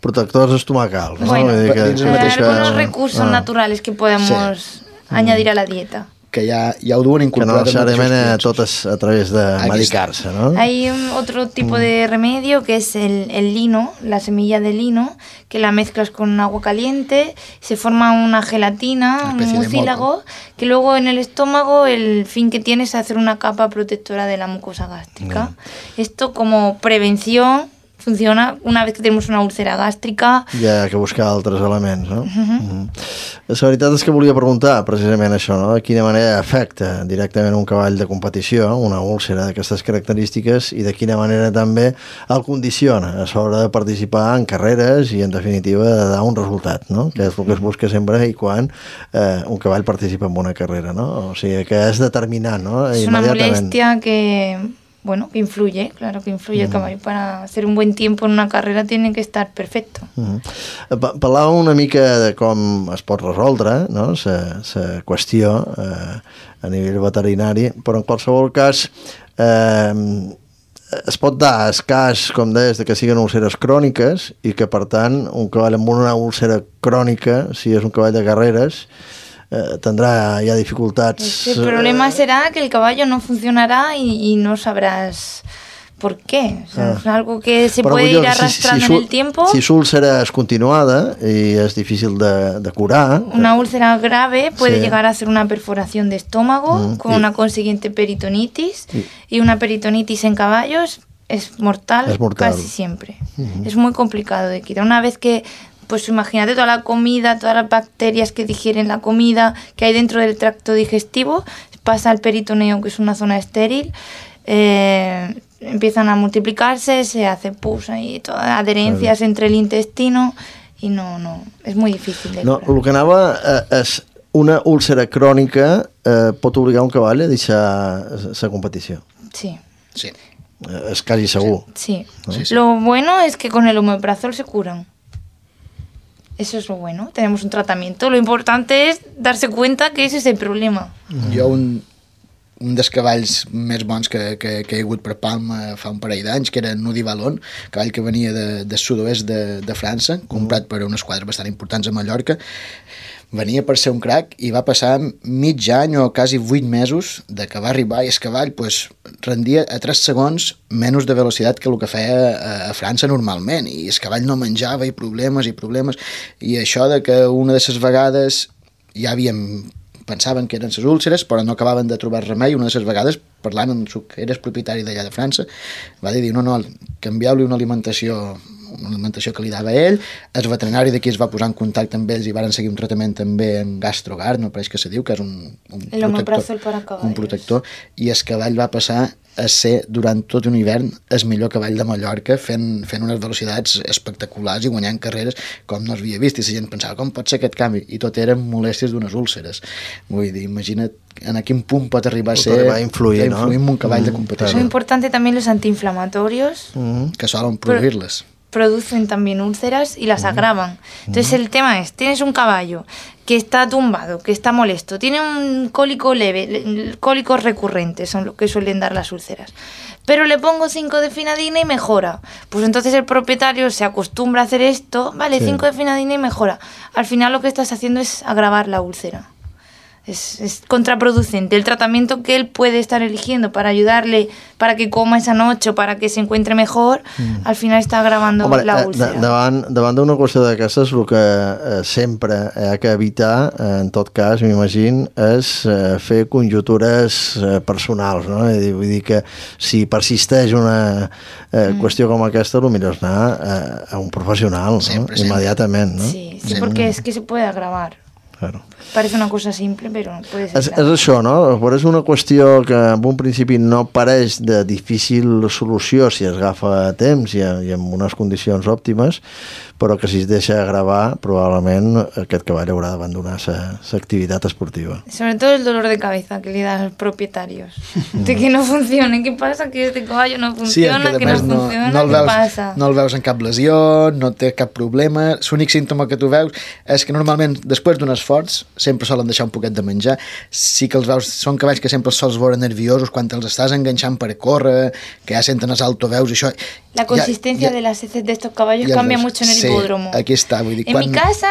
Protectors estomacals, ¿no? Bueno, algunos recursos naturales que podemos añadir a la dieta. Que ja ho duen incorporat. Que no necesariamente totes a través de medicarse, ¿no? Hay otro tipo de remedio que es el lino, la semilla de lino, que la mezclas con agua caliente, se forma una gelatina, un mucílago, que luego en el estómago el fin que tiene es hacer una capa protectora de la mucosa gástrica. Esto como prevención funciona una vez que tenemos una úlcera gàstrica. Hi ha que buscar altres elements, no? La veritat és que volia preguntar precisament això, no? De quina manera afecta directament un cavall de competició, una úlcera d'aquestes característiques, i de quina manera també el condiciona a l'hora de participar en carreres i, en definitiva, de dar un resultat, no? Que és el que es busca sempre i quan un cavall participa en una carrera, no? O sigui, que és determinant, no? És una molèstia que... Bueno, que influye, claro que influye el caballo. Para hacer un buen tiempo en una carrera tiene que estar perfecto. Parlàvem una mica de com es pot resoldre, no? La qüestió a nivell veterinari, però en qualsevol cas es pot dar el cas, com deies, de que siguin úlceres cròniques i que, per tant, un cavall amb una úlcera crònica, si és un cavall de carreras, tendrá ya dificultades. El problema será que el caballo no funcionará y no sabrás por qué. O sea, es algo que se puede ir arrastrando en el tiempo. Si su úlcera es continuada y es difícil de curar... Una úlcera grave puede llegar a ser una perforación de estómago con una consiguiente peritonitis y una peritonitis en caballos es mortal casi siempre. Es muy complicado de quitar. Una vez que... Pues imagínate toda la comida, todas las bacterias que digieren la comida que hay dentro del tracto digestivo, pasa al peritoneo, que es una zona estéril, empiezan a multiplicarse, se hace pus y todas adherencias entre el intestino y no, es muy difícil de curar. El que anava és una úlcera crònica pot obligar un cavall a deixar la competició. Sí. És quasi segur. Sí. Lo bueno es que con el omeprazol se curan. Eso es lo bueno, tenemos un tratamiento. Lo importante es darse cuenta que ese es el problema. Jo un dels cavalls més bons que he hagut per Palma fa un parell d'anys, que era Nudi Valon, cavall que venia del sud-oest de França, comprat per unes quadres bastant importants a Mallorca. Venia per ser un crac i va passar mig any o quasi 8 mesos de que va arribar i el cavall rendia a 3 segons menys de velocitat que el que feia a França normalment, i el cavall no menjava i problemes, i això de que una de les vegades ja pensaven que eren les úlceres però no acabaven de trobar remei. Una de les vegades, parlant amb el que era propietari d'allà de França, va dir, no, canvieu-li una alimentació que li dava ell. El veterinari d'aquí es va posar en contacte amb ells i varen seguir un tractament també en GastroGuard, no pareix que se diu, que és un protector, i el cavall va passar a ser durant tot un hivern el millor cavall de Mallorca, fent unes velocitats espectaculars i guanyant carreres com no s'havia vist, i la gent pensava, com pot ser aquest canvi? I tot eren molèsties d'unes úlceres. Vull dir, imagina't en quin punt pot arribar a ser influir en un cavall de competició. Muy importante también los antiinflamatorios que solen produir-les. Producen también úlceras y las agravan. Entonces el tema es, tienes un caballo que está tumbado, que está molesto, tiene un cólico leve, cólicos recurrentes son lo que suelen dar las úlceras, pero le pongo 5 de finadina y mejora. Pues entonces el propietario se acostumbra a hacer esto, vale, 5 de finadina y mejora. Al final lo que estás haciendo es agravar la úlcera. es contraproducente. El tratamiento que él puede estar eligiendo para ayudarle, para que coma esa noche o para que se encuentre mejor, al final está agravando la úlcera. Davant d'una qüestió d'aquestes, el que sempre hi ha que evitar, en tot cas, m'imagino, és fer conjuntures personals, no? Vull dir que si persisteix una qüestió com aquesta, el millor és anar a un professional, ¿no? Immediatament, ¿no? Sí, porque es que se puede agravar. Claro. Parece una cosa simple, però puede ser. És això, no? Però és una qüestió que en un principi no pareix de difícil solució si es agafa a temps i en unes condicions òptimes, però que si es deixa gravar, probablement aquest cavall haurà d'abandonar sa activitat esportiva. Sobre todo el dolor de cabeza que le da a los propietarios. De que no funcione. ¿Qué pasa? Que este caballo no funciona, sí, que no funciona, què passa? No el veus en cap lesió, no té cap problema. L'únic símptoma que tu veus és que normalment, després d'un esforç, sempre solen deixar un poquet de menjar. Sí que els veus, són cavalls que sempre els sols veure nerviosos quan els estàs enganxant per córrer, que ja senten els altoveus i això. La consistencia de las heces de estos caballos cambia mucho en el hipódromo. Aquí està, vull dir, en mi casa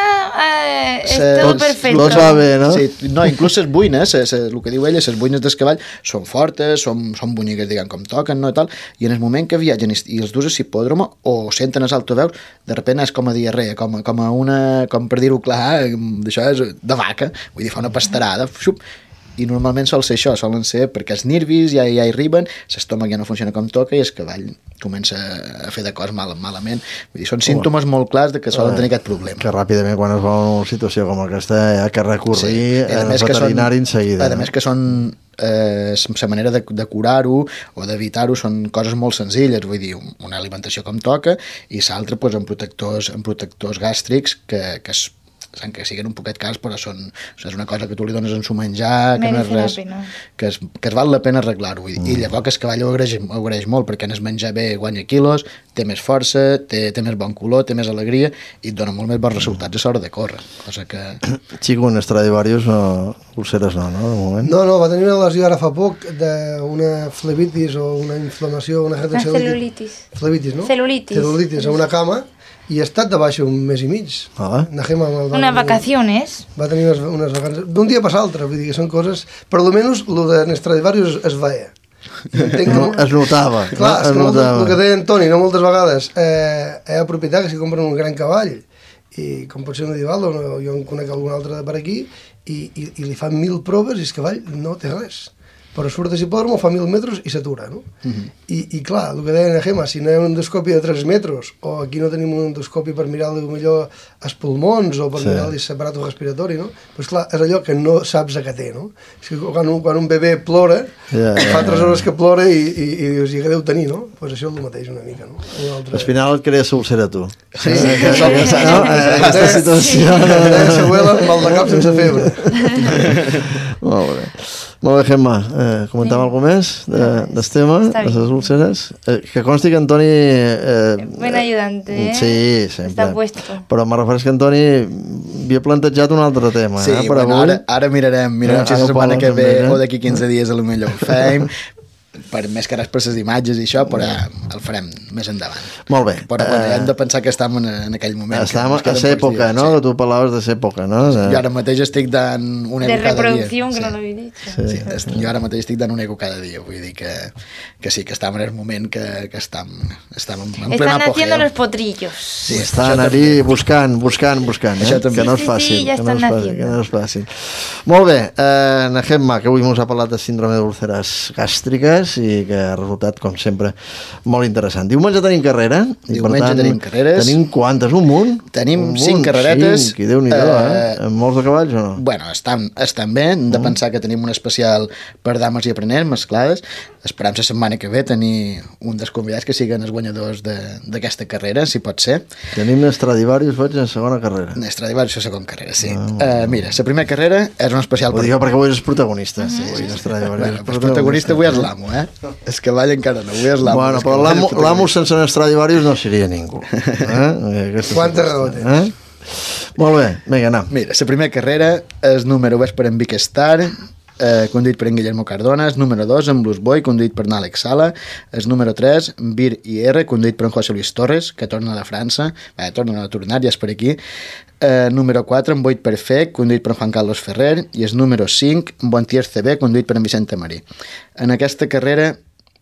és tot perfecte. Tot va bé, no? Sí, no, inclús les buines, el que diu ella, les buines del cavall són fortes, són boniques, diguem, com toquen, no, i tal, i en el moment que viatgen i els dus a l'hipòdromo o senten els altoveus, de repente és com a diarrea, com per dir-ho clar, d'això és de vaca, vull dir, fa una pastarada, xup, i normalment sol ser això, solen ser perquè els nervis ja hi arriben, l'estómac ja no funciona com toca i el cavall comença a fer de cos malament. Vull dir, són símptomes molt clars de que solen tenir aquest problema. Que ràpidament, quan es va una situació com aquesta, hi ha que recórrer al veterinari en seguida. A més que són la manera de curar-ho o d'evitar-ho són coses molt senzilles, vull dir, una alimentació com toca i l'altra doncs, amb protectors gàstrics que siguen un poquet cars, però és una cosa que tu li dones en su menjar, que no és res, que es val la pena arreglar-ho. I llavors el cavall ho agraeix molt, perquè en el menjar bé guanya quilos, té més força, té més bon color, té més alegria i et dona molt més bons resultats a l'hora de córrer. Cosa que... Xico, un Stradivarius o ulceres no, de moment? No, va tenir una lesió ara fa poc d'una flebitis o una inflamació, una celulitis. Flebitis, no? Celulitis a una cama, i ha estat de baixa un mes i mig. Unes vacaciones. Va tenir unes vacances. D'un dia per l'altre, vull dir que són coses... Per almenys, el de Stradivarius es veia. Es notava. Clar, és que el que deia Antoni, no moltes vegades, hi ha propietat que si compren un gran cavall, i com pot ser un Edivaldo, jo en conec algun altre per aquí, i li fan 1000 proves i el cavall no té res. Però surt de l'hipòdromo, fa 1000 metres i s'atura, no? I clar, el que deia en Gemma, si no hi ha un endoscopi de 3 metres, o aquí no tenim un endoscopi per mirar-li millor els pulmons, o per mirar-li l'aparato respiratori, no? Doncs clar, és allò que no saps a què té, no? És que quan un bebè plora, fa 3 hores que plora i dius, i què deu tenir, no? Doncs això és el mateix una mica, no? Al final et crea ulcera tu. Sí, aquesta situació. S'abuela amb mal de cap sense febre. Molt bé. Molt bé, Gemma. Comentàvem alguna més del tema, de les úlceres? Que consti que Antoni... Buen ayudante, ¿eh? Sí, sempre. Està puesto. Però me refereix que Antoni havia plantejat un altre tema. Sí, bueno, ara mirarem si la setmana que ve o d'aquí 15 dies a lo millor ho fem. Per més que res per les imatges i això, però el farem més endavant. Molt bé. Però bueno, hem de pensar que estem en aquell moment. Estem a l'època, no? Que tu parlaves de l'època, no? Jo ara mateix estic dant un eco cada dia. De reproducció, que no l'havia dit. Sí, jo ara mateix estic dant un eco cada dia, vull dir que sí, que estem en el moment que estem en plena apogeo. Están haciendo los potrillos. Sí, estan allí buscant, que no és fàcil. Sí, ja estan haciendo. Que no és fàcil. Molt bé, na Gemma, que avui ens ha parlat de síndrome d'úlceres gàstriques i que ha resultat, com sempre, molt interessant. Diumenge tenim carrera. Diumenge tenim carreres. Tenim quantes? Un munt? Tenim 5 carreretes. 5, i Déu-n'hi-do, Amb molts de cavalls o no? Bueno, estan bé. Hem de pensar que tenim un especial per dames i aprenents, mesclades. Esperam la setmana que ve tenir un dels convidats que siguin els guanyadors d'aquesta carrera, si pot ser. Tenim Stradivarius, veig, en segona carrera. Stradivarius a segona carrera, sí. Mira, la primera carrera és un especial... Ho dic perquè avui és protagonista. El protagonista avui és l'amo, És que cavall encara no, avui és l'amo. Bueno, però l'amo sense un Stradivarius no seria ningú. Quanta raó tens. Molt bé, vinga, anem. Mira, la primera carrera, el número és per en Vic Star, conduït per en Guillermo Cardona, el número 2, en Blues Boy, conduït per Àlex Sala, el número 3, Bir IR, conduït per en José Luis Torres, que torna de França, torna a tornar, ja és per aquí, número 4, en Boit Perfect, conduït per Juan Carlos Ferrer, i el número 5, en Bontier CB, conduït per en Vicente Marí. En aquesta carrera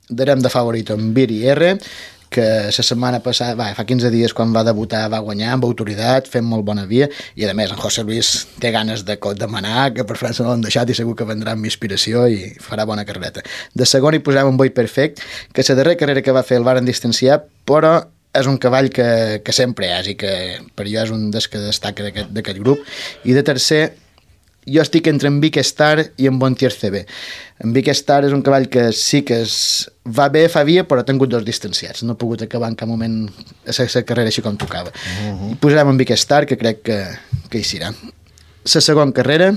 darem de favorito en Bir IR, que la setmana passada, fa 15 dies quan va debutar, va guanyar amb autoritat, fent molt bona via, i a més en José Luis té ganes de demanar, que per França no l'han deixat i segur que vendrà amb inspiració i farà bona carrereta. De segon hi posem en Boy Perfect, que la darrera carrera que va fer el varen distanciar, però és un cavall que sempre és i que per jo és un dels que destaca d'aquest grup. I de tercer, jo estic entre en Vic Star i en Bontier CB. En Vic Star és un cavall que sí que va bé, fa via, però ha tingut 2 distanciats. No ha pogut acabar en cap moment la carrera així com tocava. I posarem en Vic Star, que crec que hi serà. La segona carrera,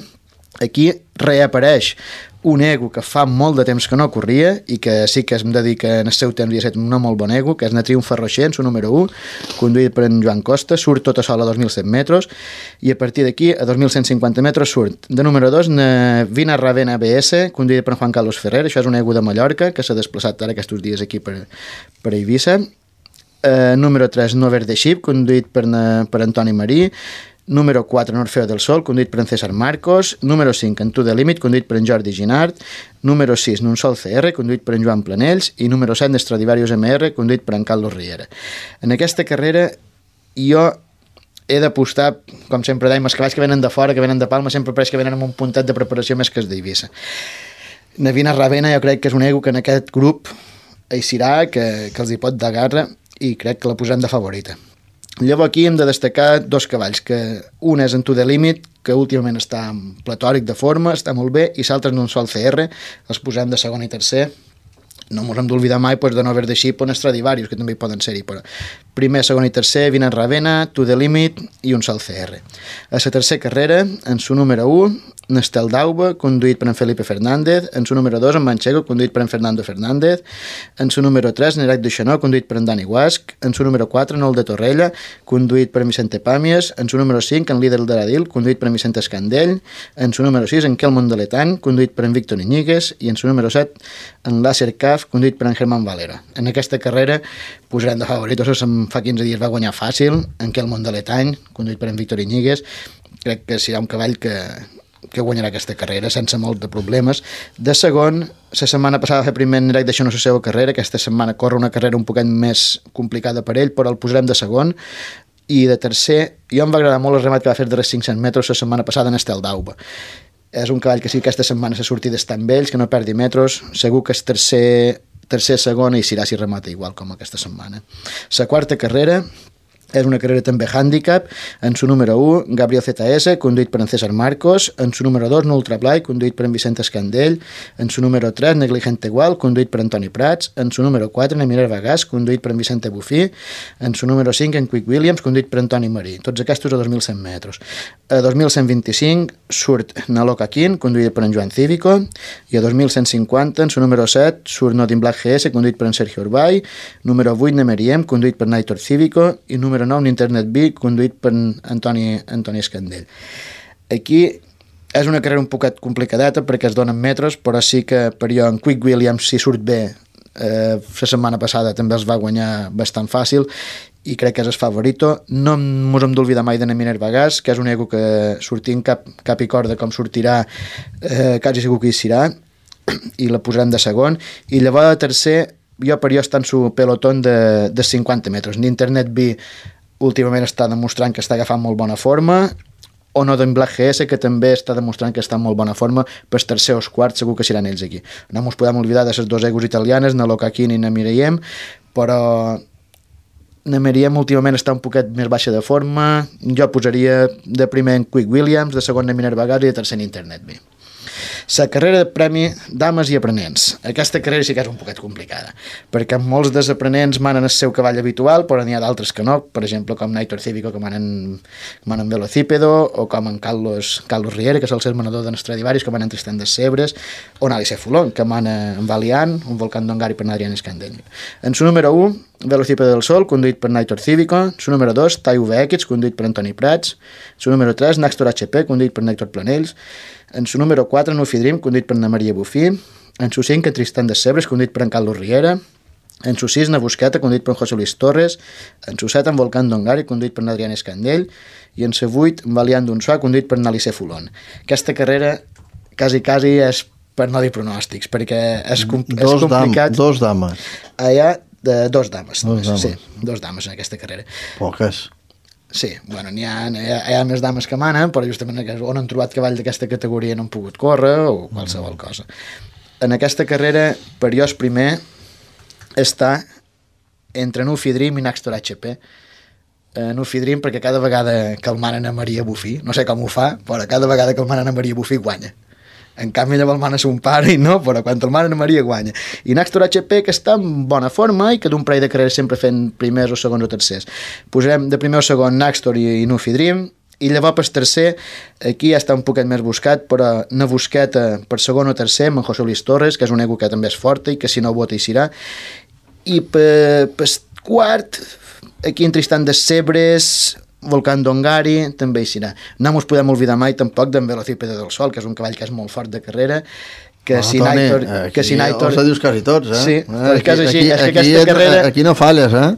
aquí reapareix un ego que fa molt de temps que no corria i que sí que hem de dir que en el seu temps havia estat un molt bon ego, que és na Triomf Rocher, en su número 1, conduït per en Joan Costa, surt tota sola a 2.100 metres i a partir d'aquí a 2.150 metres surt de número 2 na Vina Ravena BS, conduït per Juan Carlos Ferrer, això és un ego de Mallorca que s'ha desplaçat ara aquests dies aquí per Eivissa. Número 3, Nover de Ship, conduït per Antoni Marí. Número 4, Orfeo del Sol, conduït per en César Marcos. Número 5, En To The Limit, conduït per en Jordi Ginard. Número 6, Nunsol CR, conduït per en Joan Planells. I número 7, Stradivarius MR, conduït per en Carlos Riera. En aquesta carrera jo he d'apostar, com sempre dèiem, els cavalls que venen de fora, que venen de Palma, sempre pareix que venen amb un puntet de preparació més que els d'Eivissa. Navina Ravena jo crec que és un ego que en aquest grup eixirà, que els hi pot dar garra i crec que la posem de favorita. Llavors aquí hem de destacar 2 cavalls, que un és en To The Limit, que últimament està platòric de forma, està molt bé, i l'altre en un sol CR, els posem de segon i tercer. No ens hem d'oblidar mai de Nover de Ship o Stradivarius, que també hi poden ser-hi, però primer, segon i tercer, Vina Ravena, To The Limit i un sol CR. A la tercera carrera, en su número 1, Nestel d'Auba, conduït per en Felipe Fernández, en su número 2, en Manchego, conduït per en Fernando Fernández, en su número 3, Nerac Duixanó, conduït per en Dani Guasc, en su número 4, Nol de Torrella, conduït per en Vicente Pàmies, en su número 5, en Líder d'Aradil, conduït per en Vicente Escandell, en su número 6, en Kelmon de Letany, conduït per en Víctor Iñiguez, i en su número 7, en Láser Caf, conduït per en Germán Valera. En aquesta carrera posarem de favoritos, fa 15 dies va guanyar fàcil, en Kelmon de Letany, conduït per en Víctor Iñiguez. Crec que serà un cavall que guanyarà aquesta carrera sense molt de problemes. De segon, la setmana passada va fer primer en direct deixant la seva carrera, aquesta setmana corre una carrera un poquet més complicada per ell, però el posarem de segon. I de tercer, jo em va agradar molt el remat que va fer de 500 metres la setmana passada en Estel d'Auba. És un cavall que sí que aquesta setmana s'ha sortit d'estar amb ells, que no perdi metres, segur que és tercer, segon i serà si remata igual com aquesta setmana. La quarta carrera és una carrera també handicap, en su número 1, Gabriel ZS, conduït per en César Marcos, en su número 2, Ultra Blai, conduït per en Vicente Escandell, en su número 3, Negligente Igual, conduït per Antoni Prats, en su número 4, Nemirer Bagàs, conduït per en Vicente Bufí, en su número 5, en Quick Williams, conduït per Antoni Marí. Tots aquests a 2.100 metres. A 2.125 surt Naloca Quin, conduït per en Joan Cívico, i a 2.150, en su número 7, surt Notin Black GS, conduït per en Sergio Urbay, número 8, Nemeriem, conduït per Naitor Cívico, i número 9, Internet B, conduït per Antoni Escandell. Aquí és una carrera un poquet complicadeta perquè es donen metres, però sí que per jo en Quick Williams, si surt bé, la setmana passada també els va guanyar bastant fàcil i crec que és el favorito. No ens hem d'oblidar mai de Neminer Bagàs, que és un ego que sortint cap i corda com sortirà, quasi segur que hi serà, i la posarem de segon. I llavors de tercer, per jo està en su pelotón de 50 metres. N'Internet B últimament està demostrant que està agafant molt bona forma, o no d'en Black GS, que també està demostrant que està en molt bona forma, per tercer o quart segur que seran ells aquí. No ens podem oblidar de les 2 egos italianes, Naloca Quin i Nemeriem, però Nemeriem últimament està un poquet més baixa de forma. Jo posaria de primer en Quick Williams, de segon en Neminer Bagàs i de tercer en Internet B. La carrera de premi dames i aprenents. Aquesta carrera sí que és un poquet complicada, perquè molts dels aprenents manen el seu cavall habitual, però n'hi ha d'altres que no, per exemple, com Naitor Cívico, que manen Velocípedo, o com en Carlos Riera, que és el ser manador de Stradivarius, que manen Tristan de Sebres, o Alice Fulon, que mana en Valiant, un Volcán d'Ongari per Adrián Escandell. En su número 1, Velocípede del Sol, conduït per Naitor Cívico. Su número 2, TAI VX, conduït per Antoni Prats. Su número 3, Naxtor HP, conduït per Nèctor Planells. En su número 4, Nufi Dream, conduït per Ana Maria Bufí. En su 5, Tristan de Sebres, conduït per en Carlos Riera. En su 6, Navusqueta, conduït per José Luis Torres. En su 7, en Volcán Dongari, conduït per Adrián Escandell. I en su 8, Valiant d'Unsuà, conduït per Nalice Fulon. Aquesta carrera quasi és per no dir pronòstics, perquè és complicat. Dos dames. Hi ha dos dames. Sí, dos dames en aquesta carrera. Poques. Sí, bueno, hi ha més dames que manen, però justament on han trobat cavall d'aquesta categoria no han pogut córrer o qualsevol cosa. En aquesta carrera, Periós primer està entre Nufi Dream i Naxtor HP. Nufi Dream perquè cada vegada que el manen a Maria Bufí, no sé com ho fa, però cada vegada que el manen a Maria Bufí guanya. En canvi ella el mana son pare i no, però quan el manen a Maria guanya. I Naxtor HP que està en bona forma i que d'un parell de carreres sempre fent primers o segons o tercers. Posarem de primer o segon Naxtor i Nufi Dream. I llavors per tercer, aquí ja està un poquet més buscat, però Navusqueta per segon o tercer amb en José Luis Torres, que és un ego que també és forta i que si no vota hi serà. I per quart, aquí en Tristan de Sebres, Volcán Dongari, també hi serà. No ens podem oblidar mai tampoc d'en Velocípede del Sol, que és un cavall que és molt fort de carrera, que si Naitor... Ho dius quasi tots, eh? Sí, però és que és així, és que aquesta carrera... Aquí no falles, eh?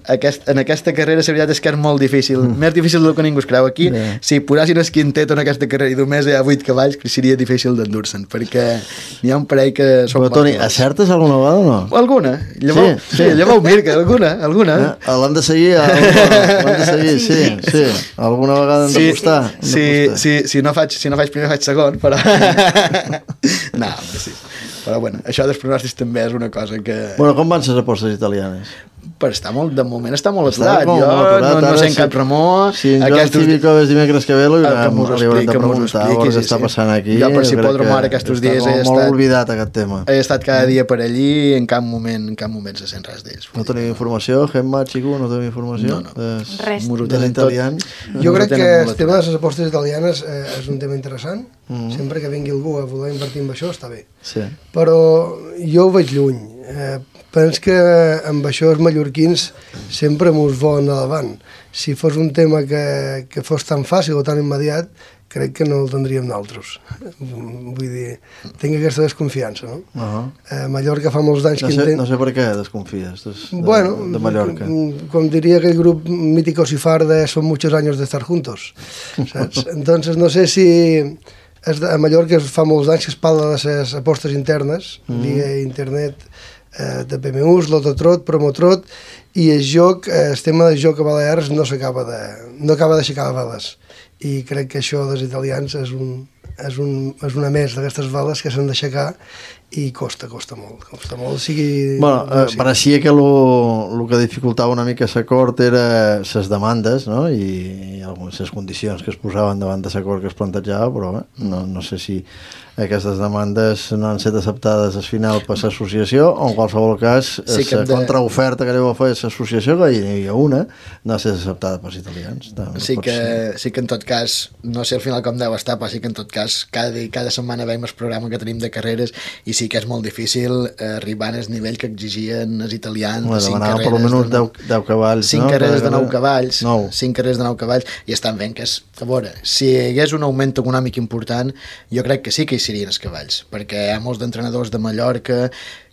En aquesta carrera la veritat és que és molt difícil, més difícil del que ningú es creu. Aquí, si posessin el quintet en aquesta carrera i només hi ha 8 cavalls, seria difícil d'endur-se'n, perquè n'hi ha un parell que són... Però, Toni, acertes alguna vegada o no? Alguna. Llavors Mirka, alguna. L'han de seguir, sí. Alguna vegada hem de costar. Si no faig primer, faig segon, però... No, sí. Però bueno, això dels pronòstics també és una cosa que... Bueno, com van les apostes italianes? Però de moment està molt aturat. Jo no sé en cap remor. Si en Joan Cívico és dimecres que ve, li haurem de preguntar què està passant aquí. Jo per si pot remor aquests dies he estat... molt oblidat aquest tema. He estat cada dia per allí i en cap moment se sent res d'ells. No tenim informació? Gemma, Xico, no tenim informació? No. Res. Dels italians? Jo crec que el tema de les apostes italianes és un tema interessant. Sempre que vingui algú a voler invertir en això està bé. Però jo ho veig lluny. Penso que amb això els mallorquins sempre mos volen a davant. Si fos un tema que fos tan fàcil o tan immediat, crec que no el tindríem nosaltres. Vull dir, tinc aquesta desconfiança, no? Mallorca fa molts anys que... No sé per què desconfies de Mallorca. Com diria aquell grup mítico Sifarde, son muchos años de estar juntos. Saps? Entonces, no sé si... A Mallorca fa molts anys que es parla de les apostes internes, via internet, de PMUs, Lototrot, Promotrot, i el tema de joc a Balears no acaba d'aixecar veles. I crec que això dels italians és una més d'aquestes veles que s'han d'aixecar i costa molt. Pareixia que el que dificultava una mica l'acord era les demandes, no? I les condicions que es posaven davant de l'acord que es plantejava, però no sé si aquestes demandes no han estat acceptades al final per l'associació o en qualsevol cas la contraoferta que li va fer l'associació, que hi havia una, no ha estat acceptada pels italians. Sí que en tot cas, no sé al final com deu estar, però sí que en tot cas cada setmana veiem el programa que tenim de carreres i sí que és molt difícil arribar al nivell que exigien els italians de 5 carreres. Per almenys 10 cavalls. 5 carreres de 9 cavalls. 5 carreres de 9 cavalls i estan veient que és... A veure, si hi hagués un augment econòmic important, jo crec que sí que hi serien els cavalls, perquè hi ha molts d'entrenadors de Mallorca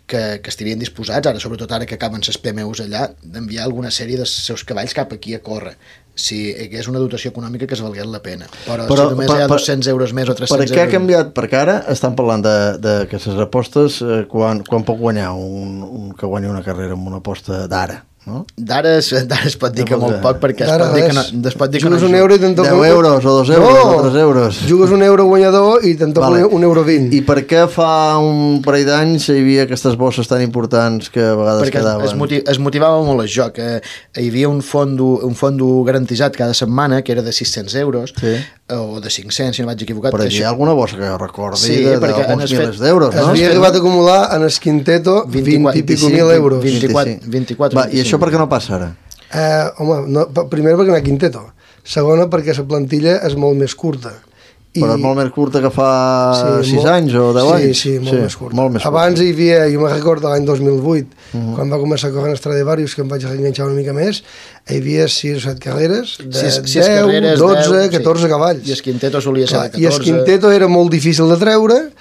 que estarien disposats, ara sobretot ara que acaben les PMUs allà, d'enviar alguna sèrie dels seus cavalls cap aquí a córrer. Si hi hagués una dotació econòmica que es valgués la pena. Però si només hi ha 200 euros més o 300 euros... Per què ha canviat? Perquè ara estan parlant de que les apostes, quan pot guanyar un que guanya una carrera amb una aposta d'ara? No? D'ara es pot dir que molt poc, perquè es pot dir que no jugues un euro i te'n toca 10 euros o 2 euros o 3 euros. Jugues un euro guanyador i te'n toca un euro 20. I per què fa un parell d'anys hi havia aquestes bosses tan importants que a vegades quedaven? Perquè es motivava molt el joc. Hi havia un fondo garantitzat cada setmana que era de 600 euros o de 500, si no vaig equivocat. Però hi ha alguna bossa que jo recordi d'alguns milers d'euros, no? Havia arribat a acumular en el quinteto 20 i pico mil euros. 24. I això per què no passa ara? Home, primer perquè no hi ha quinteto. Segona perquè la plantilla és molt més curta Però és molt més curta que fa 6 anys o 10 anys? Sí, molt més curta. Abans hi havia, jo me'n recordo l'any 2008, quan va començar a córrer en Stradivarius, que em vaig enganxar una mica més, hi havia 6 o 7 carreres de 10, 12, 14 cavalls. I Esquinteto solia ser de 14. I Esquinteto era molt difícil de treure,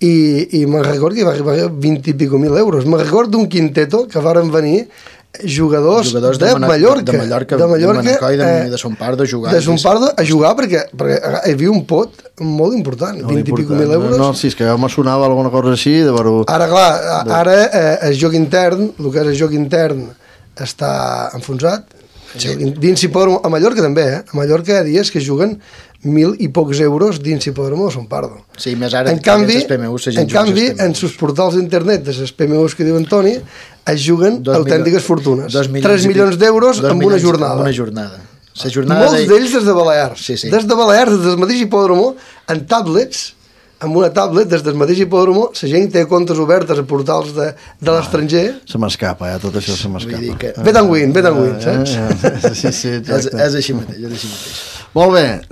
i me'n recordo que va arribar a 20 i pico mil euros. Me'n recordo d'un quinteto que varen venir jugadors de Mallorca, de Manacor i de Son Pardo jugant. De Son Pardo a jugar perquè hi havia un pot molt important, 20 i pico mil euros. No, sí, és que ja me sonava alguna cosa així. Ara, clar, el joc intern, el que és el joc intern, està enfonsat. Dins Hipòdromo, a Mallorca també, a Mallorca hi ha dies que juguen 1.000 i pocs euros dins Hipòdromo de Son Pardo. Sí, més ara en canvi, en sus portals d'internet de les PMUs que diu Antoni, es juguen autèntiques fortunes. 3 milions d'euros en una jornada. Molts d'ells des de Balears. Des de Balears, des del mateix Hipòdromo, en tablets, amb una tablet, des del mateix Hipòdromo, la gent té comptes obertes a portals de l'estranger. Se m'escapa, tot això se m'escapa. Bet and win, saps? Sí, exacte. És així mateix. Molt bé,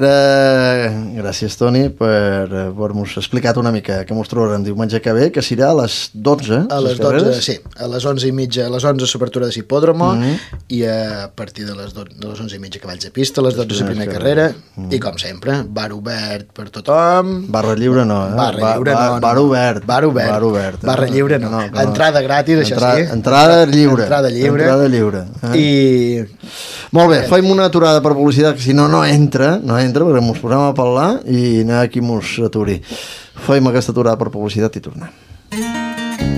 gràcies Toni per haver-nos explicat una mica què mos trobarem diumenge que ve, que serà a les 12. A les 12, sí, a les 11:30, a les 11 s'obertura de l'hipòdromo i a partir de les 11:30 cavalls de pista, a les 12 la primera carrera i com sempre, bar obert per tothom. Barra lliure no, Barra lliure no. Bar obert. Barra lliure no. Entrada gratis, això sí. Entrada lliure. Entrada lliure. I... Molt bé, faim una aturada per publicitat, que si no entra, perquè mos posem a parlar i anar aquí mos aturi. Faim aquesta aturada per publicitat i tornem.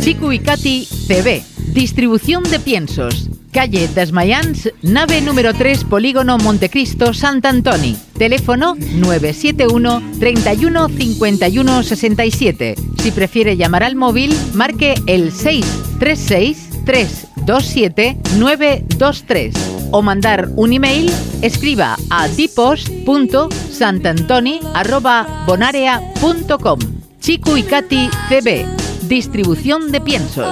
Chico y Katy CB, distribución de piensos. Calle Desmayans, nave número 3, Polígono Montecristo, Sant Antoni. Teléfono 971 31 51 67. Si prefiere llamar al móvil, marque el 636 327 923. O mandar un email, escriba a dipos.santantoni@bonarea.com. Chico y Katy CB, distribución de piensos.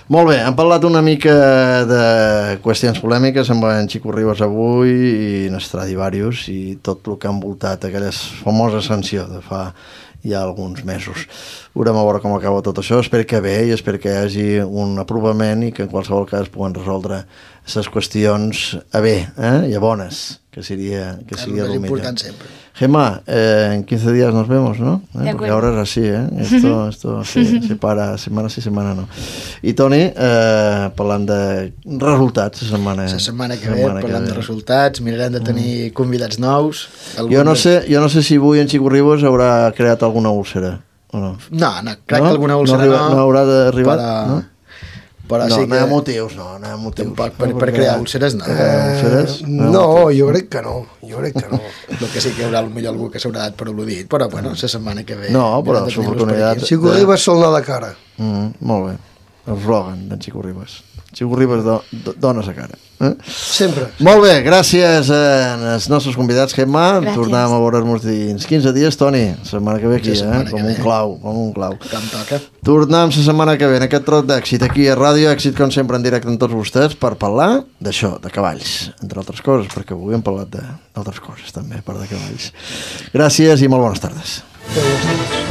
Molt bé, hem parlat una mica de qüestions polèmiques amb en Xico Ribas avui i en Stradivarius i tot el que ha envoltat aquella famosa sanció de fa ja alguns mesos. Veurem a veure com acaba tot això, espero que bé i espero que hi hagi un aprovament i que en qualsevol cas puguen resoldre aquestes qüestions a bé i a bones, que seria el millor. Important sempre. Gemma, en 15 días nos vemos, ¿no? Porque ahora es así, Esto se para semana sí, semana no. I Toni, parlant de resultats la setmana que ve, parlant de resultats, mirarem de tenir convidats nous. Jo no sé si avui en Xico Ribas haurà creat alguna úlcera o no. No, crec que alguna úlcera no haurà d'arribar, no? Però no, sí que... no hi ha motius. Tampoc per crear úlceres, no. No, jo crec que no. El que sí que hi haurà potser algú que s'haurà dat per al·ludit, però bueno, la setmana que ve... No, però l'oportunitat... Xico Ribas sol anar de cara. Molt bé. El slogan d'en Xico Ribas. Xico Ribas dona sa cara. Sempre. Molt bé, gràcies als nostres convidats, Gemma. Tornem a veure'ns dins 15 dies, Toni. La setmana que ve aquí, com un clau. Que em toca. Tornem la setmana que ve en aquest trot d'èxit aquí a Ràdio Èxit, com sempre en directe amb tots vostès, per parlar d'això, de cavalls, entre altres coses, perquè avui hem parlat d'altres coses també, a part de cavalls. Gràcies i molt bones tardes. Bones tardes.